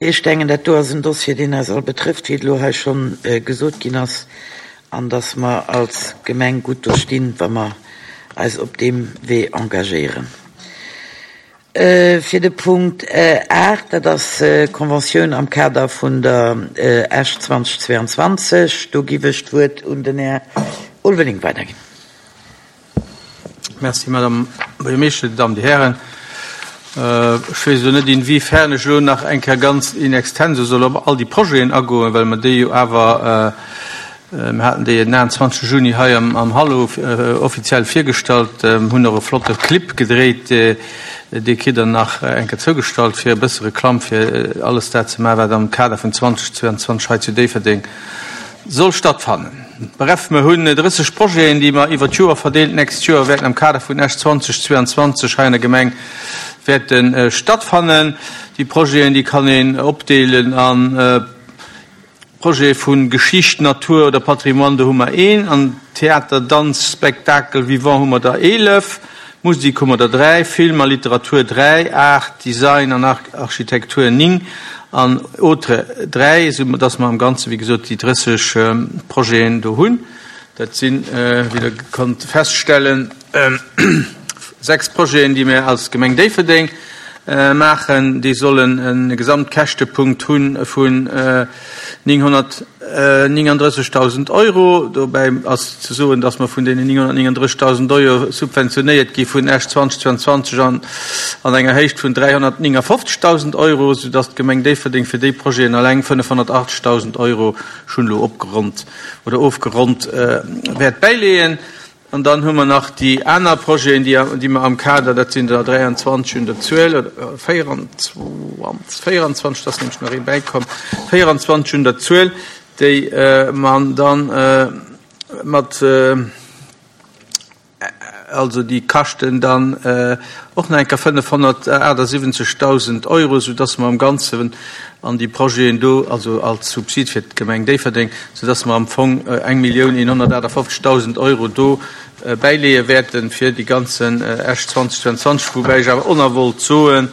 Ech denken, dat do ass en Dossier, deen eis all betrëfft, wéi et elo hei scho gesot ginn ass, an dass mer als Gemeng gutt do stinn, wa mer eis op deem Wee engagéieren. Fir de Punkt 8, dat ass d'Conventioun am Kader vun der Esch 2022, do giff ech d'Wuert un den Här Ulveling weiderginn. Merci, Madame Buergermeeschter, Dir Damen, Dir Hären. Ech weess elo net, inwiefern ech elo nach eng Kéier ganz in extenso soll op all déi Projeten agoen, well mer déi jo awer, mir haten déi den 29. Juni hei am Hallo offiziell virgestallt, hunn och e flotte Clip gedréit, dee kritt Der nach eng Kéier zougestallt, fir e bësse Reklamm fir alles dat ze maachen, wat am Kader vun 2022 hei zu Déifferdeng soll stattfannen. Bref, mer hunn 30 Projeten, déi mer iwwer d'Joer verdeelt d'nächst Joer wäerten am Kader vun Esch 2022 hei an der Gemeng wäerte stattfannen. Déi Projeten, déi kann een opdeelen a Projete vu Geschicht, Natur oder Patrimoine, do hu mer een, an Theater, Danz, Spectacle vivant hu mer der 11, Musik hu mer der 3, Film a Literatur 3, Art, Design an Architektur 9 an autres 3, esou dass mer am Ganze wéi gesot déi 30 Projeten do hunn. Dat sinn, wéi Der konnt feststellen, 6 Projeten, déi mir als Gemeng Déifferdeng maachen. Déi sollen e Gesamtkäschtepunkt hu vun 939.000 Euro. Dobäi ass ze soen, dass mer vun deenen 939.000 Euro subventionéiert gi vun Esch 2022 an an enger Héicht vun 359.000 Euro, soudass d'Gemeng Déifferdeng fir déi Projeten alleng 580.000 Euro, ech hunn elo opgeronnt oder ofgeronnt, wäert bäileeën. An dann hu mer nach déi aner Projeten, déi mer am Kader, dat sinn der 23 un der Zuel, oder 24, 24, et ass nämlech nach ee bäikomm, 24 un der Zuel, déi mer da mat, also déi kaschten dann och nach eng Kéier 578.000 Euro, soudass mer am Ganzen an déi Projeten do, also als Subsid fir d'Gemeng Déifferdeng, soudass mer am Fong 1.158.000 Euro do bäileeë wäerten fir déi ganzen Esch 2022, woubäi ech awer och wollt soen,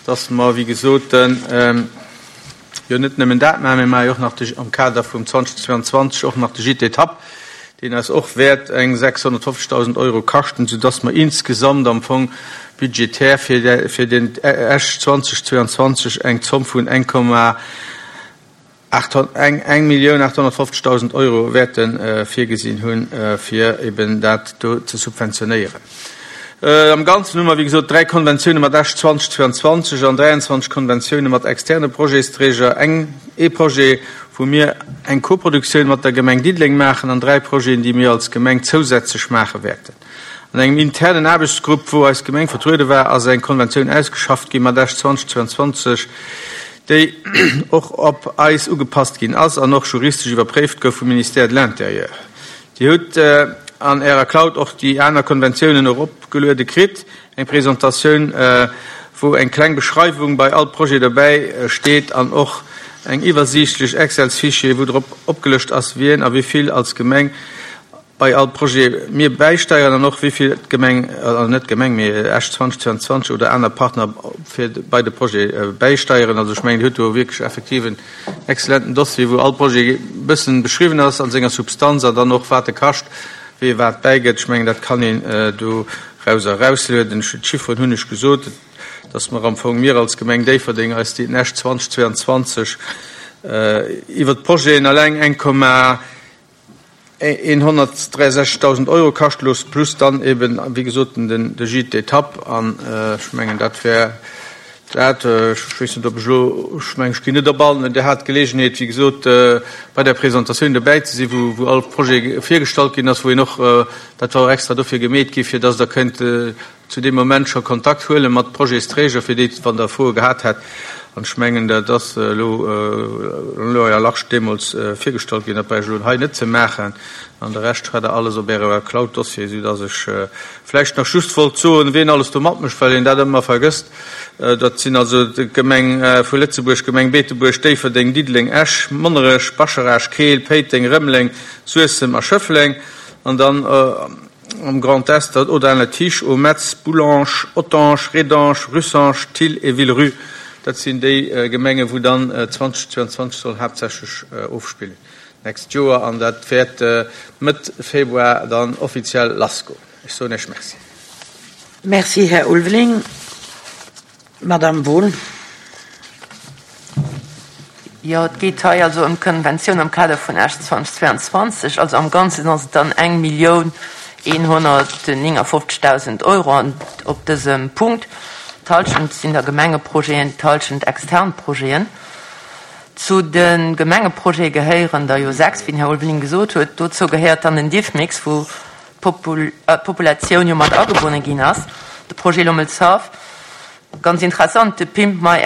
dass mer, wéi gesot, jo net nëmmen dat maachen, mir maache jo och nach de, am Kader vum 2022 och nach de Gîte d'étape, deen eis och wäert eng 650.000 Euro kaschten, soudass mer insgesamt am Fong budgetär fir den Esch 2022 eng Zomm vun 1.850.000 Euro wäerte virgesinn hunn, fir eben dat do ze subventionéieren. Am Ganzen hu mer, wéi gesot, dräi Konventioune mat Esch 2022 an 23 Konventioune mat externe Projetsträger, eng, ee Projet, wou mir eng Koproduktioun mat der Gemeng Diddeleng maachen an dräi Projeten, déi mir als Gemeng zousätzlech maache wäerten. An engem internen Aarbechtsgrupp, wou eis Gemeng vertruede war, ass eng Konventioun ausgeschafft gi mat Esch 2022, déi och op eis ugepasst ginn ass an och juristesch iwwerpréift gouf vum Ministère de l'Intérieur. Dir hutt an Ärer Cloud och déi aner Konventiounen eropgeluede kritt, eng Presentatioun, wou eng kleng Beschreiwung bei all Projet dobäi steet an och eng iwwersiichtlech Excels-Fichier, wou drop opgelëscht ass, wien a wéi vill als Gemeng bei all Projet mir bäisteieren an och wéi vill d'Gemeng, also net d'Gemeng, mee Esch 2022 oder aner Partner fir bei de Projet bäisteieren. Also ech mengen, Dir hutt do wierklech effektiv en excellenten Dossier, wou all Projet e bëssen beschriwwen ass an senger Substanz an dann och wat e kascht, wee wat bäigëtt. Ech mengen, dat kann een dorauser erauslueden. D'Chifferen hunn ech gesot, dass mer am Fong, mir als Gemeng Déifferdeng, eis déi den Esch 2022 iwwert d'Projeten alleng 1,163.000 Euro kascht looss, plus dann eben, wéi gesot, den de Gîte d'étape. An ech mengen, dat wär dat. Ech weess net, ob ech elo, ech mengen, ech ginn net op all, Dir hat d'Geleegenheet, wéi gesot, bei der Presentatioun dobäi ze sinn, wou, wou all Projet virgestallt ginn ass, wou een och, dat war och extra dofir gemeet gi fir dass Der kënnt zu deem Moment scho Kontakt huele mat Projetsträger, fir déi, wann Der Froe gehat hätt. An ech mengen, dat ass elo elo à la large deemools virgestallt ginn. Dat brauch ech elo hei net ze maachen. An de Rescht hat Der alles op Ärer Cloud-Dossier, soudass ech vläicht nach just wollt soen, wien alles do matmécht, well een dat ëmmer vergësst. Dat sinn also d'Gemeng vu Lëtzebuerg, Gemeng Beetebuerg, Déifferdeng, Diddeleng, Esch, Monnerech, Bascharage, Keel, Péiteng, Rëmeleng, Suessem a Schëffleng. An dann Am Grand Est, dat Audun-le-Tiche, au Metz, Boulange, Ottange, Rédange, Russange, Thil et Villerupt. Dat sinn déi Gemengen, wou dann 2022 soll haaptsächlech ofspillen d'nächst Joer. An dat wäert Mëtt Februar dann offiziell lassgoen. Ech soen Iech Merci. Merci, Här Ulveling. Madamm Wohl. Jo, et geet hei also ëm d'Konventioun am Kader vun Esch 2022. Also am Ganzen ass et dann 1.159.000 Euro an op dësem Punkt. D'Hallschent sinn da Gemengeprojeten, d'Hallschent extern Projeten. Zu de Gemengeprojete gehéieren der jo 6, wéi den Här Ulveling gesot huet. Dozou gehéiert dann den Diffmix, wou d'Populatioun jo mat agebonne ginn ass, de Projet Lommelshaff, ganz interessant, de Pimp My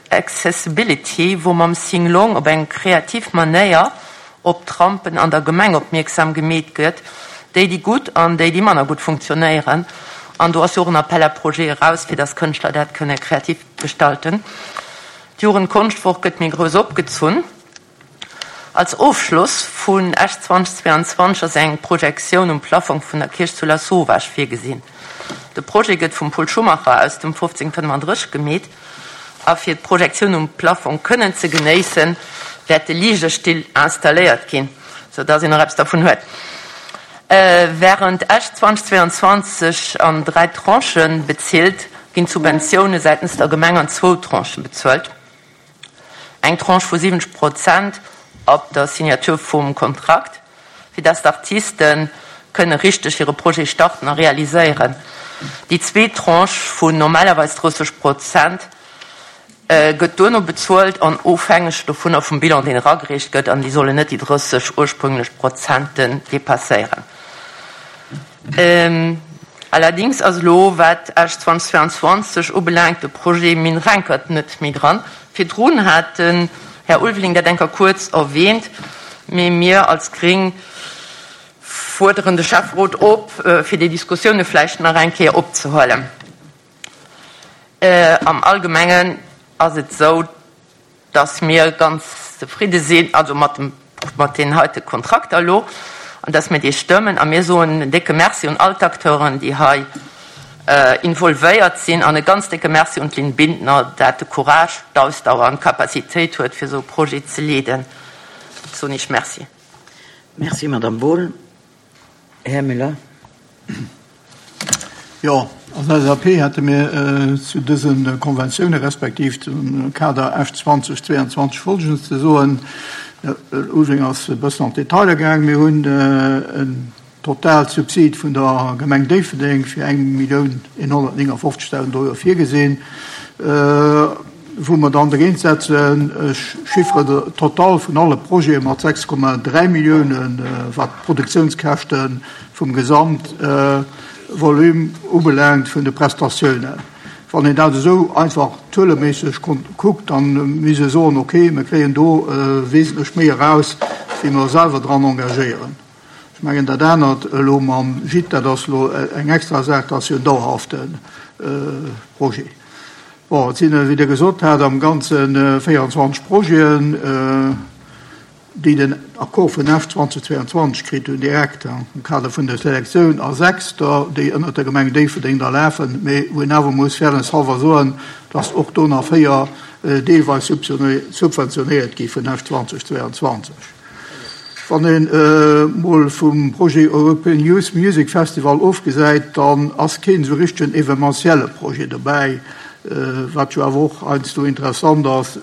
Accessibility, wou mam Sing-Long op eng kreativ Manéier op d'Rampen an der Gemeng opmierksam gemeet gëtt, déi déi gutt an déi déi manner gutt funktionéieren. An do ass jo och en Appel à projets eraus, fir dass Kënschtler dat kënne kreativ gestalten. D'Jugendkonschtwoch gëtt méi grouss opgezunn. Als Ofschloss vun Esch 2022 ass eng Projektioun um Plaffong vun der Kierch zu Lasauvage virgesinn. De Projet gëtt vum Paul Schumacher aus dem 1535 gemeet a fir d'Projektioun um Plaffong kënnen ze genéissen, wäerte Ligestill installéiert ginn, sou dass een och eppes dervun huet. Wärend Esch 2022 an 3 Tranchen bezilt, ginn d'Subventioune säitens der Gemeng an zwou Tranchen bezuelt. Eng Tranche vu 70 Prozent ab der Signature vum Kontrakt, fir dass d'Artiste kënne richteg hire Projet starten a realiséieren. Déi zweet Tranche vun normalerweis 30 Prozent gëtt duerno bezuelt an ofhängeg dovunner vum Bilan, deen eragereecht gëtt, an déi sollen net déi 30 ursprünglech Prozenten dépasséieren. Allerdings ass elo, wat Esch 2022 ubelaangt, de Projet Mine Renkert net méi dran. Virdrun hat den Här Ulveling dat eng Kéier kuerz erwähnt, mee mir als Gring fuerderen de Schäfferot op, fir déi Diskussioune vläicht nach eng Kéier opzehuelen. Am Allgemengen ass et esou, dass mir ganz zefridde sinn, also mat dem, mat deenen heite Kontrakter elo, an dass mir déi stëmmen. A mir soen en décke Merci un all d'Acteuren, déi hei involvéiert sinn, an e ganz décke Merci un d'Lynn Bindner, dat de Courage, d'Ausdauer an d'Capacitéit huet, fir esou e Projet ze leeden. Soen Iech Merci. Merci, Madame Wohl. Här Müller. Jo, als LSAP hätte mir zu dëse Konventiounen respektiv zum Kader Esch 2022 Folgendes ze soen. Ulving ass e bëssen an d'Detailer gaang. Mir hunn en Totalsubsid vun der Gemeng Déifferdeng fir 1.159.000 Euro virgesinn. Wou mer dann dogéint setzen, ech chiffre de Total vun alle Projete mat 6,3 Milliounen, wat d'Produktiounskäschte vum Gesamtvolume ubelaangt vun de Prestatiounen. Wann een dat esou einfach zueleméisseg kuckt, da misst ee soen, okay, mir kréien do wesentlech méi eraus, wéi mer selwer dran engagéieren. Ech mengen, dat anert elo mam Gîte, dat ass elo eng extra Saach, dat ass jo en dauerhafte Projet. Bon, et sinn, wéi Der gesot hat, am Ganze 24 Projeten, déi den Accord vun Esch 2022 kritt hunn, direkt am Kader vun der Selektioun, a sechs der, déi ënnert der Gemeng Déifferdeng da lafen, mee wou een awer muss fairness halber soen, dass och do nach véier deelweis subventionéiert gi vun Esch 2022. Wann een mol vum Projet European Youth Music Festival ofgesäit, dann ass keen esou richtegen evenementielle Projet dobäi, wat jo awer och heiansdo interessant ass,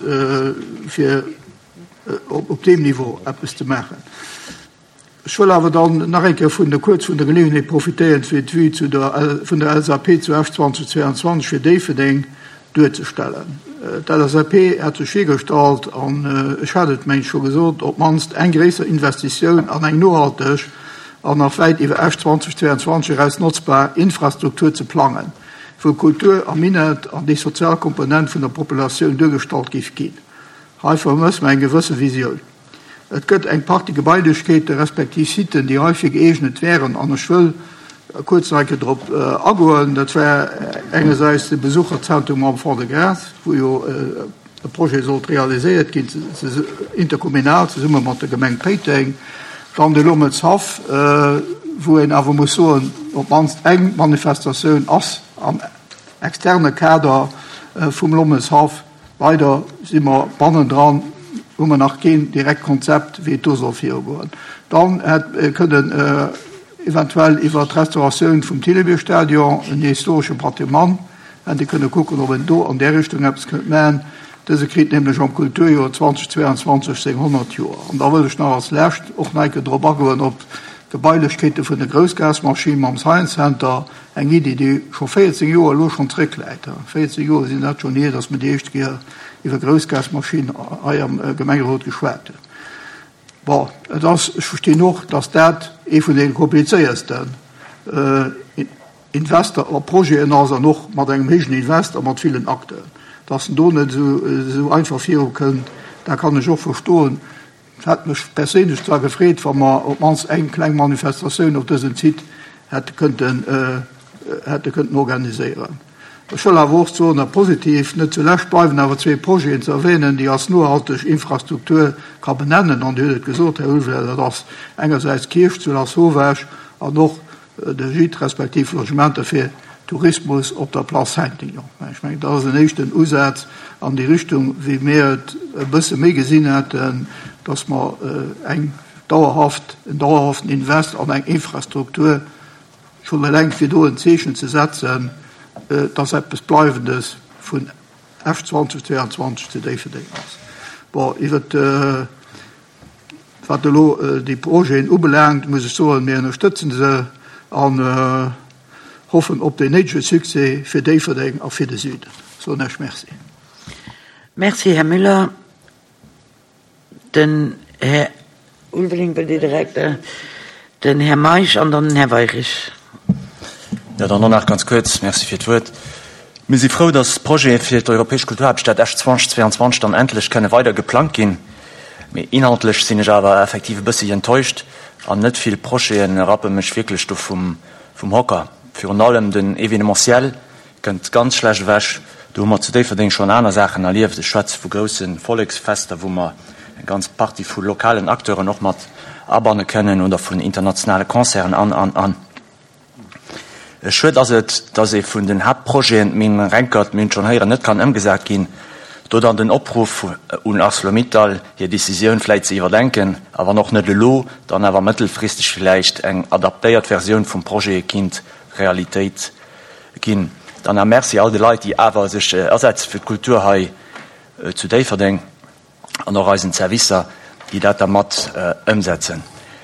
fir op deem Niveau eppes ze maachen. Ech wëll awer dann nach eng Kéier vun der kuerz vun der Geleeënheet profitéieren, fir d'Vue zu der vun der LSAP zu Esch 2022 fir Déifferdeng duerzestellen. D'LSAP hat sech virgestallt, an ech hat et mengen ech scho gesot, op d'mannst eng gréisser Investitioun an eng nohalteg an nach wäit iwwer Esch 2022 eraus notzbar Infrastruktur ze plangen, wou Kultur a Minett an déi sozial Komponent vun der Populatioun duergestallt géif ginn. Hei vermësse mer eng gewësse Visioun. Et gëtt eng Partie Gebailechkeete respektiv Siten, déi heifir gëeegnet wären, an ech wëll kuerz nach eng Kéier drop agoen. Dat war engersäits de Besucherzentrum am Fond-de-Gras, wou jo e Projet sollt realiséiert ginn, interkommunal zesumme mat der Gemeng Péiteng. Dann de Lommelshaff, wou een awer muss soen, op d'mannst eng Manifestatioun ass am externe Kader vum Lommelshaff. Leider si mer bannendran, hu mer nach keen direkt Konzept, wéi et do soll virugoen. Dann hätt kënnen eventuell iwwert d'Restauratioun vum Thillebier-Stadion, en historesche Patrimoine, hätt ee kënne kucken, ob een do an där Richtung eppes kënnt maachen. Dëse kritt nämlech am Kulturjoer 2022 seng 100 Joer. An da wëll ech nach als Lescht och nach eng Kéier drop agoen op d'Gebailechkeete vun de Groussgasmaschine mam Science Center, eng Iddi, déi scho 14 Joer elo schonn zréckläit. 14 Joer sinn dat schonn hier, datt mer déi éischt Kéier iwwer Groussgasmaschinn hei am Gemengerot geschwat hunn. Bon, et ass, ech verstinn och, datt dat ee vun deene komplizéiersten Invester a Projeten ass an och mat engem héijen Invest a mat villen Acteuren. Datt en do net esou einfach virukënnt, dat kann ech och verstoen. Et hätt mech perséinlech zwar gefreet, wa mer op d'mannst eng kleng Manifestatioun op dësem Site hätte kënnten, hätte kënnten organiséieren. Ech wëll awer och soen, a positiv, net zulescht bleiwen awer zwee Projeten ze erwähnen, déi als nohalteg Infrastruktur ka benennen, an Dir hutt et gesot, Här Ulveling, dat ass engersäits d'Kierch zu Lasauvage an och de Gîte respektiv Logementer fir Tourismus op der Place Saintignon. Ech mengen, dat ass en éischten Usaz an déi Richtung, wéi mir et e bësse méi gesinn hätten, dass mer eng dauerhaft, en dauerhaften Invest an eng Infrastruktur, schonn eleng fir do en Zeechen ze setzen, dass eppes Bleiwendes vun Esch 2022 zu Déifferdeng ass. Bon, iwwert Wat elo déi Projeten ubelaangt, muss ech soen, mir ënnerstëtzen se an hoffen op deen néidege Succès fir Déifferdeng a fir de Süden. Soen Iech Merci. Merci, Här Müller. Den Här Ulveling wëll Dir direkt, den Här Meisch an dann den Här Weirich. Jo, dann och nach ganz kuerz Merci fir d'Wuert. Mir si frou, dass d'Projete fir d'Europäesch Kulturhaaptstad Esch 2022 dann endlech kënne weider geplangt ginn. Mee inhaltlech sinn ech awer effektiv e bëssi enttäuscht an net vill Projete rappe mech wierklech do vum Hocker. Virun allem den Evenementiel kënnt ganz schlecht ewech. Do hu mer zu Déifferdeng schonn aner Saachen erlieft. Ech schwätze vu grousse Volleksfester, wou mer eng ganz Partie vu lokalen Acteuren och mat abanne kënnen oder vun internationale Concerten an, an, an. Schued ass et, dass ee vun den Haaptprojeten, d'Minn Renkert, mir hunn et schonn héieren, net kann ëmgesat ginn. Do dann den Opruff un Arcelor-Mittal, hir Decisioun vläit ze iwwerdenken a wann och net elo, dann awer mëttelfristeg villäicht eng adaptéiert Versioun vum Projet kinnt Realitéit ginn. Dann nach Merci all de Leit, déi awer sech asetze fir d'Kultur hei zu Déifferdeng. an och eisen Servicer, déi dat da mat ëmsetzen.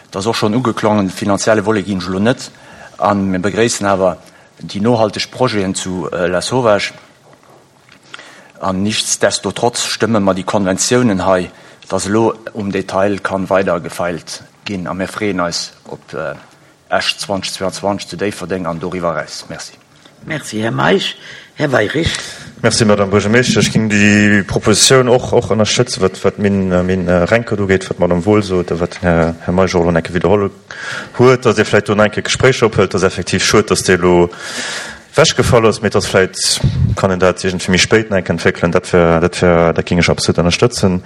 Et ass och schonn ugeklongen, de finanzielle Volet ginn ech elo net an. Mir begréissen awer déi nohalteg Projeten zu Lasauvage an nichtsdestotrotz stëmme mer déi Konventiounen hei, dass elo um Detail kann weider gefeilt ginn a mir freeën eis op Esch 2022 zu Déifferdeng an doriwwer eraus. Merci. Merci, Här Meisch. Här Weirich. Merci, Madame Buergermeeschtesch. Ech géing déi Propositioun och och ënnerstëtzen, wat wat d'Minn Minn Renkert ugeet, wat d'Madame Wohl sot a wat den Här Här Meisch och elo nach eng Kéier widderholl huet, dass ee vläicht do nach eng Kéier Gespréicher ophëlt. Et ass effektiv schued, dass déi elo ewechgefall ass, mee et ass vläicht, kann een dat iergendwéi méi spéit nach eng Kéier entwéckelen. Dat wär, dat wär, dat géing ech absolut ënnerstëtzen.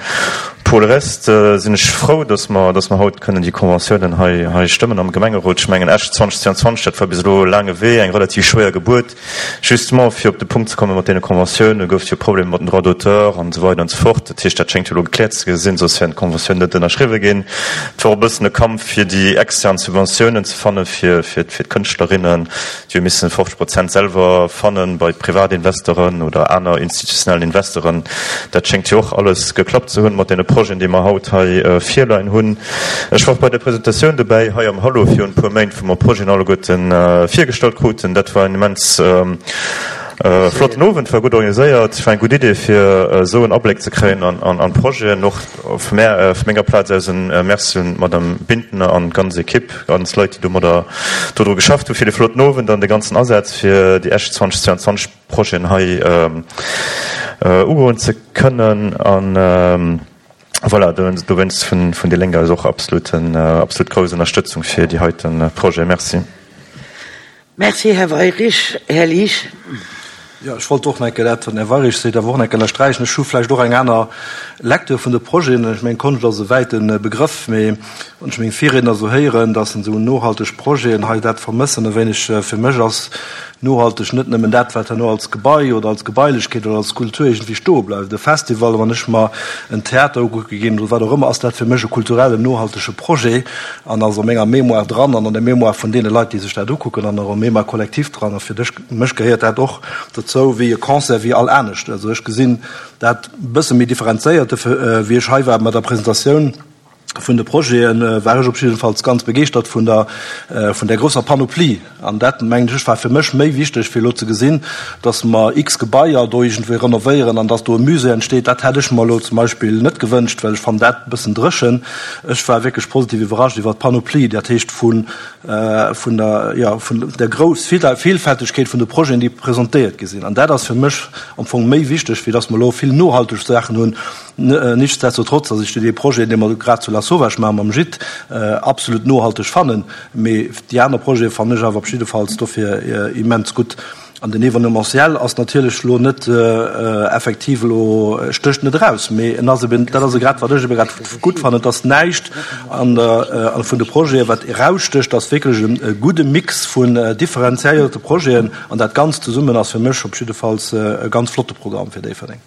Pour le reste sinn ech frou, dass mer, dass mer haut kënnen déi Conventiounen hei, hei stëmmen am Gemengerot. Ech mengen, Esch 2022, dat war bis elo e laange Wee, eng relativ schwéier Gebuert. Justement, fir op de Punkt ze komme mat deene Conventiounen, gouf et jo Problemer mat den Droits d'auteur an esou weider an esou fort. Dat heescht, dat schéngt jo elo gekläert ze sinn, soss wären d'Conventiounen net ënnerschriwwe ginn. Et war och e bëssen e Kampf, fir déi extern Subventiounen ze fanne fir, fir, fir d'Kënschtlerinnen. Déi hu missen 50 Prozent selwer fannen bei Privatinvestoren oder aner institutionellen Investoren. Dat schéngt jo och alles geklappt ze hunn mat deene Projeten, déi mer haut hei virleien hunn. Ech war och bei der Presentatioun dobäi hei am Hallo virun e puer Méint, wou mer d'Projeten alleguerten virgestallt kruten. Dat war en immens flotten Owend, war gutt organiséiert, war eng gutt Idee fir esou en Abléck ze kréien an d'Projeten. Och vu menger Plaz aus en Merci un d'Madame Bintner an d'ganz Equipe. Ganz Leit, déi domadder dodru geschafft hu fir de flotten Owend an de ganzen Asaz fir déi Esch 2022 Projeten hei ugoen ze kënnen. An voilà, dowéinst vun déi Lénk aus och absolut absolut grouss Ënnerstëtzung fir déi heite Projet. Merci. Merci, Här Weirich. Här Liesch. Jo, ech wollt och nach eng Kéier dat, wat den Här Weirich seet, awer och nach eng Kéier ënnersträichen. Ech hu vläicht och eng aner. Lecture vun de Projeten, ech mengen, Konscht ass e wäite Begrëff, mee wann ech meng Virriedner esou héieren, dass en esou nohalteg Projeten hei, dat vermëssen e wéineg. Fir mech ass nohalteg net nëmmen dat, wat herno als Gebai oder als Gebailechkeet oder als Skulptur iergendwéi stoe bleift. E Festival, wann ech mer en Theater ukucke ginn oder wat och ëmmer, ass dat fir mech e kulturellen, nohaltege Projet an ass a menger Mémoire dran an an der Mémoire vun deene Leit, déi sech dat ukucken an och am Mémoire collectif dran. A fir dech, mech gehéiert dat och dozou wéi e Concert, wéi all anescht. Also ech gesinn dat e bësse méi differenzéiert, wéi ech hei war mat der Presentatioun vun de Projeten, war ech op jiddefalls ganz begeeschtert vun der, vun där grousser Panoplie. An dat, mengen ech, war fir mech méi wichteg, fir elo ze gesinn, dass mer x Gebaier do iergendwéi renovéieren an dass do e Musée entsteet. Dat hätt ech mer elo zum Beispill net gewënscht, well ech fannen dat e bëssen dréchen. Ech war wierklech positiv iwwerrascht iwwert d'Panoplie, dat heescht vu vun der, jo, vun der grouss Vielfältegkeet vun de Projeten, déi presentéiert gi sinn. An dat ass fir mech am Fong méi wichteg, wéi dass mer elo vill nohalteg Saachen hunn. Nichtsdestotrotz, dass ech dee Projet, dee mer grad zu Lasauvage maachen mam Gîte, absolut nohalteg fannen. Mee déi aner Projete fannen ech awer op jiddefalls dofir immens gutt. An den Événementiel ass natierlech elo net effektiv elo, stécht net eraus, mee en ass eben, dat ass e grad, wat ech ebe grad gutt fannen, et ass näischt an der, vun de Projeten, wat erausstécht, ass wierklech e gudde Mix vun differenziéierte Projeten an dat Ganzt zesummen ass fir mech op jiddefalls e ganz flotte Programm fir Déifferdeng.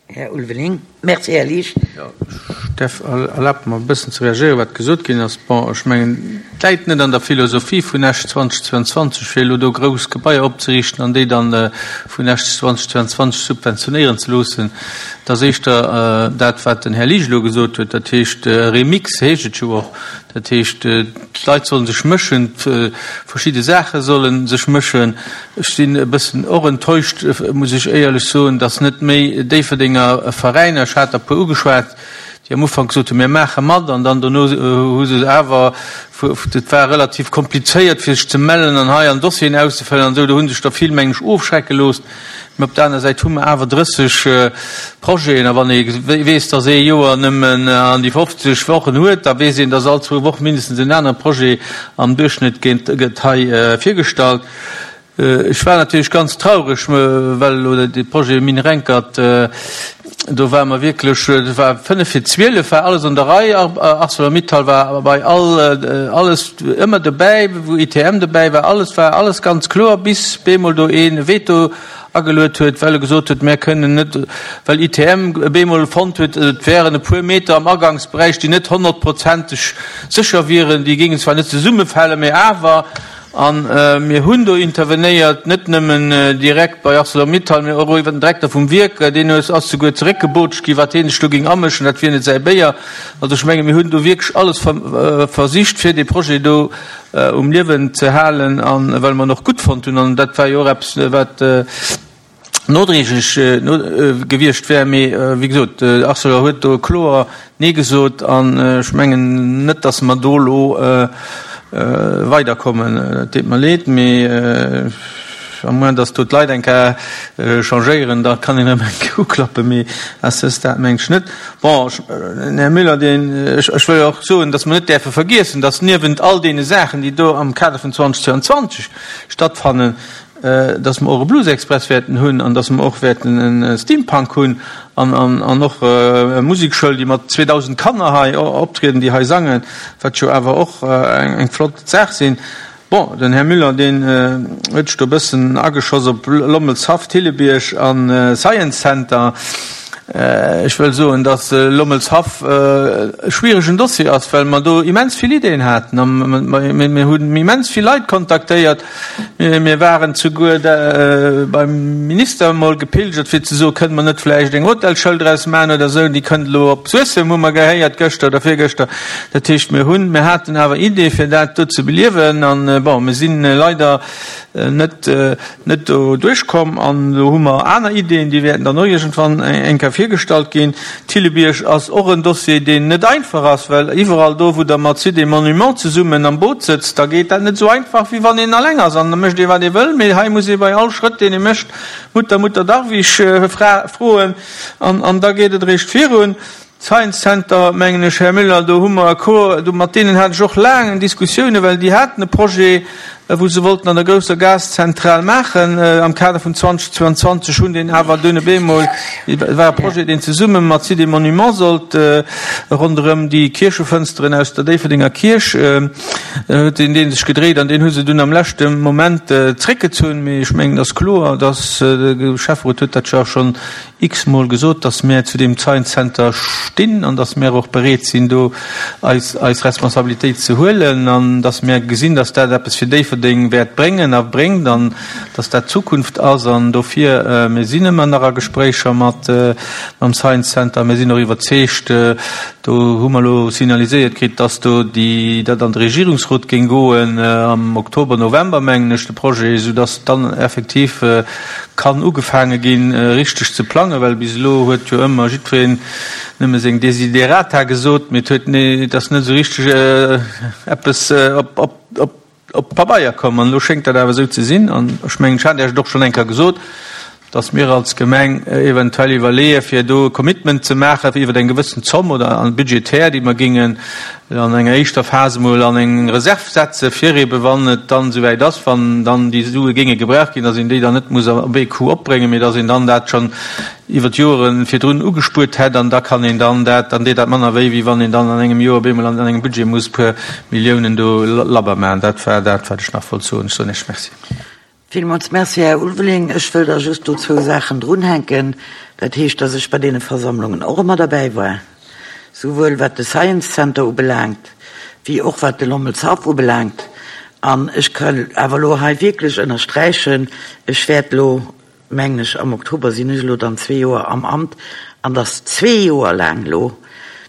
Här Ulveling. Merci, Här Liesch. Jo, ech däerf, erlaabt mer e bëssen ze reagéieren, wat gesot ginn ass. Bon, ech mengen, et läit net an der Philosophie vun Esch 2022, fir elo do grouss Gebaier opzeriichten an déi dann vun Esch 2022 subventionéieren ze loossen. Et ass éischter dat, wat den Här Liesch elo gesot huet, dat heescht, Remix heescht et jo och, dat heescht, d'Leit solle sech mëschen, verschidde Saache solle sech mëschen. Ech sinn e bëssen och enttäuscht, muss ech éierlech soen, dass net méi Déifferdenger Veräiner, ech hat der e puer ugeschwat, déi am Ufank gesot hunn, mir maache mat, an dann dono hu se awer, et war relativ komplizéiert fir sech ze mellen an hei an Dossieren auszefëllen an esou, do hu sech der vill, meng ech, ofschrecke loosst. Mä op der aner Säit hu mer awer 30 Projeten, a wann ee weess, dass ee Joer nëmmen an déi 50 Wochen huet, da weess een, dass all zwou Woche mindestens en anere Projet am Duerchschnëtt gëtt hei virgestallt. Ech war natierlech ganz traureg, well elo de Projet Mine Renkert, do ware mer wierklech, et war fënnef vir 12, war alles an der Rei, Arcelor-Mittal war bei all, alles ëmmer dobäi, wou ITM dobäi war, alles war alles ganz kloer, bis bemol do ee Veto ageluet huet, well e gesot huet, mär kënnen net, well ITM bemol fonnt huet, et wären e puer Meter am Agangsberäich, déi net honnertprozenteg sécher wieren, déi géingen zwar net zesummefalen, mä awer. A mir hunn do intervenéiert, net nëmmen direkt bei Arcelor-Mittal, mä och iwwer den Direkter vum Wierk, deen ass souguer zeréckgebootscht ginn, wat hie sech do géing amëschen, dat wier net säi Béier. Also ech menge mir hunn do wierklech alles versicht, fir dee Projet do um Liewen ze halen, a well mer en och gutt fonnt hunn. An dat war jo och eppes, wat nodréiglech gewiescht wär. Mee wéi gesot, Arcelor huet do kloer Nee gesot an ech mengen net, datt mer do elo weiderkommen. Et deet mer leed, mee à moins datt do d'Leit eng Kéier changéieren, da kann een erëm eng Kéier uklappen, mee à ce stade mengen ech net. Bon, den Här Müller, deen, ech wëll och soen, datt mer net däerfe vergiessen, datt niewent all deene Saachen, déi do am Kader vun 2022 stattfannen, dass mer och e Blues Express wäerten hunn an dass mer och wäerten e Steampunk hunn an och e Musekschoul, déi mat 2.000 Kanner hei optrieden, déi hei sangen, wat jo awer och eng flott Saach sinn. Bon, den Här Müller, deen huet sech do e bëssen ageschoss op Lommelshaff, Thillebierg a Science Center. Ech wëll soen, dass Lommelshaff e schwieregen Dossier ass, well mer do immens vill Ideeën haten a mir hunn immens vill Leit kontaktéiert. Mir waren souguer beim Minister emol gepilgert, fir ze soen, Kënne mer net vläicht eng Hotelschoul draus maachen oder esou? Déi kënnt elo op Suessem, hu mer gehéiert gëschter oder virgëschter. Dat heescht, mir hunn, mir haten awer Ideeë fir dat do ze beliewen an, bon, mir si leider net net do duerchkomm an do hu mer aner Ideen, déi wäerten dann och iergendwann eng Kéier virgestallt ginn. Thillebiërg ass och en Dossier, deen net einfach ass, well iwwerall do, wou Der mat Sites et Monuments zesummen am Boot sëtzt, da geet dat net esou einfach, wéi wann een alleng ass an da mécht ee wat ee wëll. Mee hei muss ee bei all Schrëtt, deen ee mécht, Mutter, Mutter Darwish froen an da geet et eréischt virun. Science Center, mengen ech, Här Müller, do hu mer e Cours, do mat deenen hat ech och laang Diskussiounen, well déi haten e Projet. Wou se wollten an der grousser Gaszentral maachen am Kader vum 2022, hunn deen awer dunn op eemol, et war e Projet, deen zesumme mat Sites et Monuments sollt ronderëm déi Kierchefënsteren aus der Déifferdenger Kierch, huet deen dee sech gedréit an deen hu se dunn am leschte Moment zréckgezunn. Mee ech mengen, et ass kloer, dass, de Schäfferot huet dat jo schonn x-mol gesot, dass mär zu deem Science Center stinn an dass mär och bereet sinn, do eis eis Responsabilitéit ze huelen an dass mär gesinn, dass dat eppes fir Déifferdeng wäert bréngen a bréngt an dass dat d'Zukunft ass. An dofir, mir sinn ëmmer nach a Gespréicher mat mam Science Center. Mir sinn och iwwerzeegt, do hu mer elo signaliséiert kritt, dass do déi dat an de Regierungsrot géing goen am Oktober, November, mengen ech, de Projet, soudass dann effektiv kann ugefaange ginn, richteg ze plangen, well bis elo huet jo ëmmer jiddwereen nëmme seng Desiderata gesot, mee et huet, et ass net esou richteg eppes op Pabeier komm. An elo schéngt dat awer esou ze sinn. An ech mengen, ech hat Iech et och schonn eng Kéier gesot, dass mir als Gemeng eventuell iwwerleeë fir do e Commitment ze maachen iwwer eng gewëssen Zomm oder budgetär, déi mer géingen an enger éischter Phas emol an eng Reserv setze fir ebe wann et dann esouwäit ass, wann dann déi Sue géinge gebraucht ginn, dass een déi dann net muss op ee Coup opbréngen, mee dass een dann dat schonn iwwer d'Joere virdrun ugespuert hätt an da kann een dann dat, dann deet dat manner wéi, wéi wann een dann an engem Joer op eemol an engem Budget muss e puer Milliounen do labber maachen. Dat war dat, wat ech nach wollt soen. Ech soen Iech Merci. Villmools Merci, Här Ulveling. Ech wëll da just do zwou Saachen drunhänken. Dat heescht, dass ech bei deene Versammlungen och ëmmer derbäi war, souwuel wat de Science Center ubelaangt, wéi och wat de Lommelshaff ubelaangt. An ech kann awer elo hei wierklech ënnersträichen, ech wäert elo, mengen ech, am Oktober sinn ech elo dann zwee Joer am Amt, an dass zwee Joer laang elo,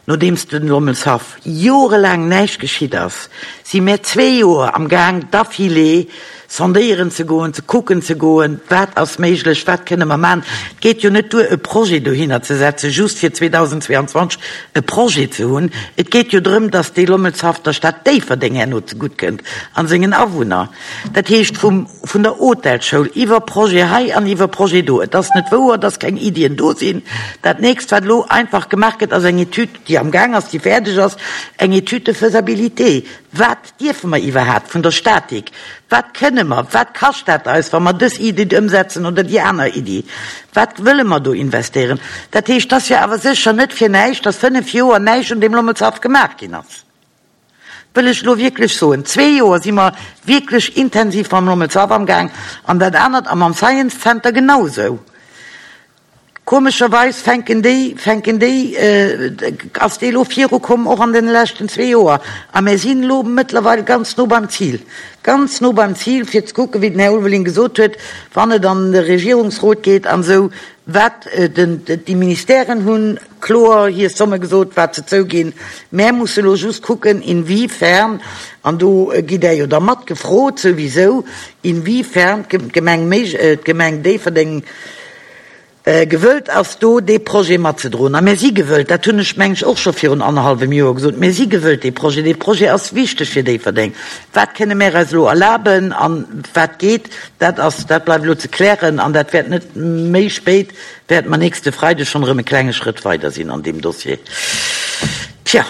Nodeems den Lommelshaff jorelaang näischt geschitt ass, si mär zwee Joer am Gaang d'affilée sondéieren ze goen, ze kucken ze goen, wat ass méiglech, wat kënne mer maachen. Et geet jo net duer e Projet dohinner ze setzen, just fir 2022 e Projet ze hunn. Et geet jo drëm, datt dee Lommelshaff der Stad Déifferdeng herno zegutt kënnt an sengen Awunner. Dat heescht vum, vun der Hotelschoul iwwer Projet hei an iwwer Projet do. Et ass net wouer, dass keng Iddien do sinn. Dat nächst, wat elo einfach gemaach gëtt, ass eng Etüd, déi am Gaang ass, déi fäerdeg ass, eng Étude de faisabilité. Wat dierfe mer iwwerhaapt vun der Statik? Wat kënne mer? Wat kascht dat eis, wa mer dës Iddi ëmsetzen oder déi aner Iddi? Wat wëlle mer do investéieren? Dat heescht, et ass jo awer sécher net fir näischt, dass fënnf Joer näischt un deem Lommelshaff gemaach ginn ass. Wëll ech elo wierklech soen. Zwee Joer si mer wierklech intensiv mam Lommelshaff amgaang an dat anert a mam Science Center genausou. Komescherweis fänken déi, fänken déi, ass dee elo virukomm och an deene leschten zwee Joer. A mir sinn elo mëttlerweil ganz no beim Zil, ganz no beim Zil, fir ze kucken, wéi den Här Ulveling gesot huet, wann et an de Regierungsrot geet an esou, wat den, déi Ministèren hunn kloer hir Somme gesot, wat se zouginn. Mär musse elo just kucken, inwiefern, an do gitt Der jo da mat gefrot souwisou, inwiefern d'Gemeng méi, d'Gemeng Déifferdeng gewëllt ass, do dee Projet matzedroen. A mär si gewëllt, dat hunn ech, meng ech, och scho virun annerhallwem Joer gesot, mär si gewëllt dee Projet, dee Projet ass wichteg fir Déifferdeng. Wat kënne mär eis elo erlaben a wat geet, dat ass, dat bleift elo ze klären an dat wäert net méi spéit Wäerte mer nächste Freideg schonn erëm e klenge Schrëtt weider sinn an deem Dossier. Tja,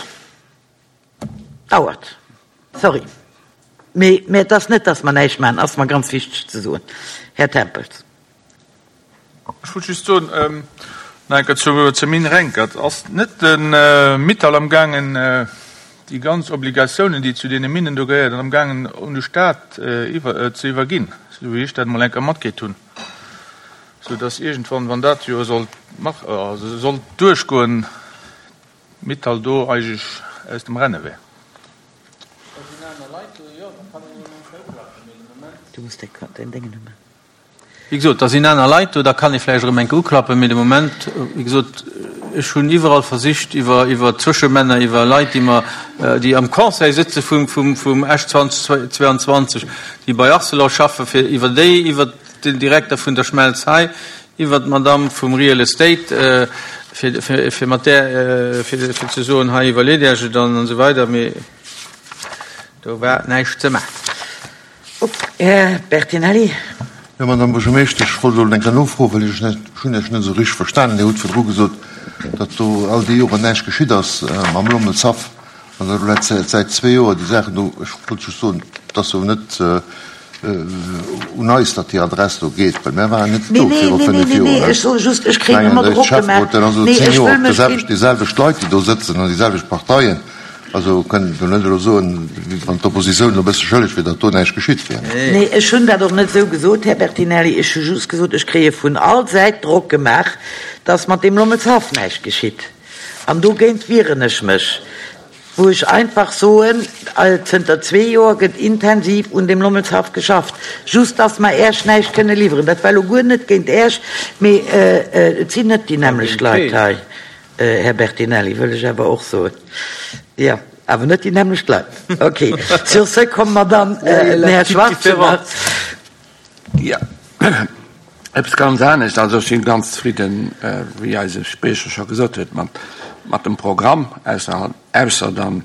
dauert. Sorry. Mee, mä et ass net, dass mer näischt maachen, ass mer ganz wichteg ze soen. Här Tempels. Ech wollt just soen, nach eng Kéier zur Mine Renkert, Ass net de Mittal amgaangen, déi ganz Obligatiounen, déi zu deene Minen do gehéieren, amgaangen un de Stat ze iwwerginn, esou wéi ech dat emol eng Kéier matkritt hunn? Sou dass iergendwann, wann dat jo sollt mach, also sollt duerchgoen, Mittal do eigentlech aus dem Renne wär. Wéi gesot, da sinn aner Leit do, da kann ee vläicht erëm eng Kéier uklappen, mee de Moment, wéi gesot, ech hunn iwwerall versicht, iwwer, iwwer Zwëschemänner, iwwer Leit, déi mer, déi am Conseil sëtze vum, vum, vum Esch 2022, déi bei Arcelor schaffen, fir iwwer déi, iwwer den Direkter vun der Schmelz hei, iwwert d'Madame vum Real Estate, fir, fir mat där, fir, fir ze soen, hei iwwerleet Iech et an esou weider, mee do war näischt ze maachen. Här Bertinelli. Jo, Madame Buergermeeschtesch, ech wollt elo eng Kéier nofroen, well ech net, ech hunn Iech net esou richteg verstanen. Dir hutt virdru gesot, datt do all déi Joren näischt geschitt ass mam Lommelshaff an datt elo säit zwee Joer déi Saachen do, ech wollt just soen, et ass jo net. Un eis, datt déi Adress do geet, well mär waren net Nee, do nee, viru nee, nee, 5 nee, Joer. nee, ech soe just, ech kréien ëmmer Mengen, Drock Schäfferot, gemaach. dat ass elo Nee, 10 ech Joer wëll op mech déiselwecht, géint. déiselwecht Leit, déi do sëtzen an déiselwecht Parteien. Also kënnt Der net elo soen, wéi wann d'Oppositioun elo e bësse schëlleg wier, datt do näischt geschitt wier. Nee, ech hunn dat och net esou gesot, Här Bertinelli. Ech hu just gesot, ech kréie vun all Säit Drock gemaach, datt mat deem Lommelshaff näischt geschitt. An dogéint wieren ech mech. Wou ech einfach soen, zënter zwee Joer gëtt intensiv un deem Lommelshaff geschafft, just dass mer Äerch näischt kënne liwweren. Dat war elo guer net géint Äerch, mee et sinn net déi nämmlecht Leit hei, Här Bertinelli, wëll ech awer och soen. Jo, awer net déi nämmlecht Leit. Okay, sur ce komme mer dann, den Här Schwartze nach. Jo, eppes ganz anescht. Also ech si ganz zefridden, wéi eise Spriecher scho gesot huet, mat, mat dem Programm, ausser, ausser dann,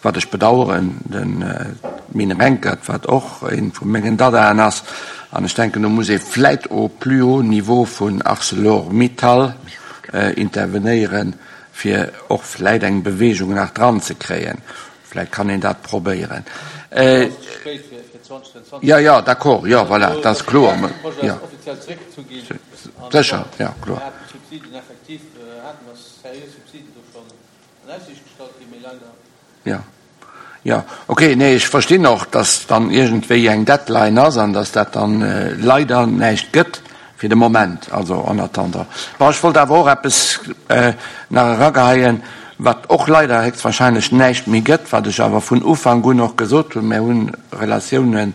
wat ech bedauern, den Mine Renkert, wat och ee vu mengen Dadaen ass. An ech denken, do muss ee vläit au plus haut niveau vun Arcelor Mittal intervenéieren, fir och vläit eng Bewegung nach dran ze kréien. Vläit kann een dat probéieren. Jo, jo, d'accord, jo, voilà, dat ass kloer. Jo, sécher, jo, kloer. Jo, jo, okay, nee, ech verstinn och, dass dann iergendwéi eng Deadline ass an dass dat dann leider näischt gëtt. Fir de Moment, also en attendant. Bon, ech wollt awer och eppes nach erageheien, wat och leider héchstwahrscheinlech näischt méi gëtt, wat ech awer vun Ufank un och gesot hunn, Mir hu Relatiounen,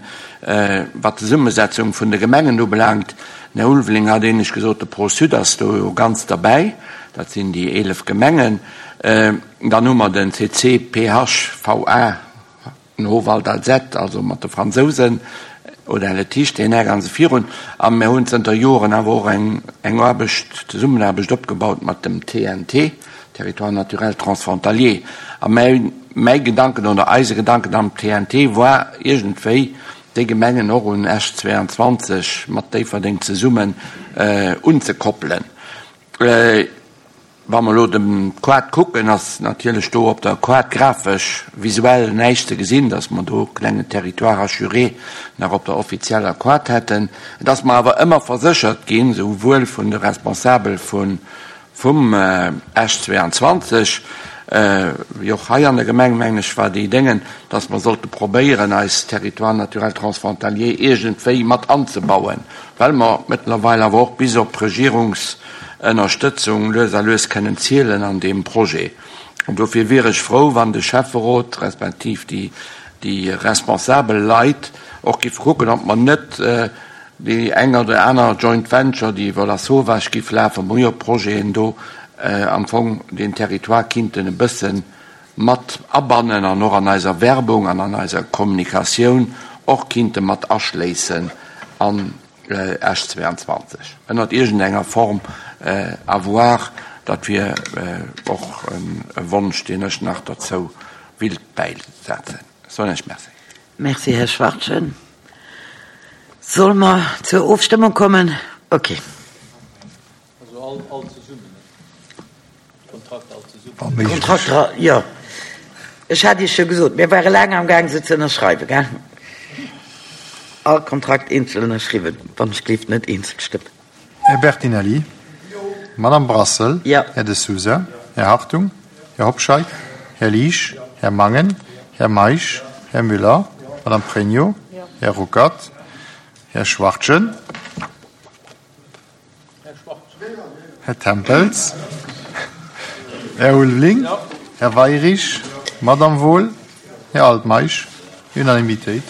wat d'Zesummesetzung vun de Gemengen ubelaangt. Den Här Ulveling hat éinescht gesot, de Pro-Sud ass do jo ganz derbäi, dat sinn déi 11 Gemengen. Dann hu mer den CCPHVA, Den Howald Alzette, also mat de Fransousen, oder Letiche, deen Här ganz virun. A mir hunn zënter Joren awer och eng eng Aarbecht, Zesummenaarbecht opgebaut mat dem TNT, Territoire naturel transfrontalier. A mäi mäi Gedanken oder eise Gedanken am TNT war iergendwéi, déi Gemengen och un Esch 22 mat Déifferdeng zesummen unzekoppelen. Wa mer elo dem Quad kucken, ass natierlech do op der Quad grafesch, visuell näischt ze gesinn, dass mer do e klengen Territoire hachuré nach op der offizieller Quad hätten. Et ass mer awer ëmmer verséchert ginn, souwuel vun de Responsabel vun vum Esch 22, wéi och hei an der Gemeng, mengen ech, war déi Déngen, dass mer sollte probéieren, eis Territoire naturel transfrontalier iergendwéi mat anzebauen, well mer mëttlerweil awer och bis op Regierungs Ënnerstëtzung lues a lues kënnen zielen an deem Projet. An dofir wier ech frou, wann de Schäfferot respektiv déi, déi responsabel Leit och giffe kucken, ob mer net déi eng oder aner Joint Venture, déi iwwer Lasauvage giff lafen, mer hu jo Projeten do, am Fong deen Territoire kinnten e bësse mat abannen an och an eiser Werbung an an eiser Kommunikatioun och kinnte mat aschléissen an Esch 22 ënnert iergend enger Form à voir. Dat wier och e Wonsch, deen ech nach derzou willt bäisetzen. Ech soen Iech Merci. Merci, Här Schwachtgen. Solle mer zur Ofstëmmung kommen? Okay. Also all, all zesummen, ne? D'Kontrakter all zesummen. D'Kontrakter, jo. Ech hat Iech jo gesot, mir ware laang am Gaang, se ze ënnerschreiwen, gell? All Kontrakt eenzel ënnerschriwwen, wann ech gleeft net eenzel stëmmen. Här Bertinelli. Jo. Madame Brassel. Jo. Här De Sousa. Här Hartung. Här Hobscheit. Här Liesch. Här Mangen. Här Meisch. Här Müller. Madame Pregno. Här Ruckert. Här Schwachtgen. Här Tempels, Här Ulveling, Här Weirich, Madame Wohl, Här Altmeisch. Unanimitéit.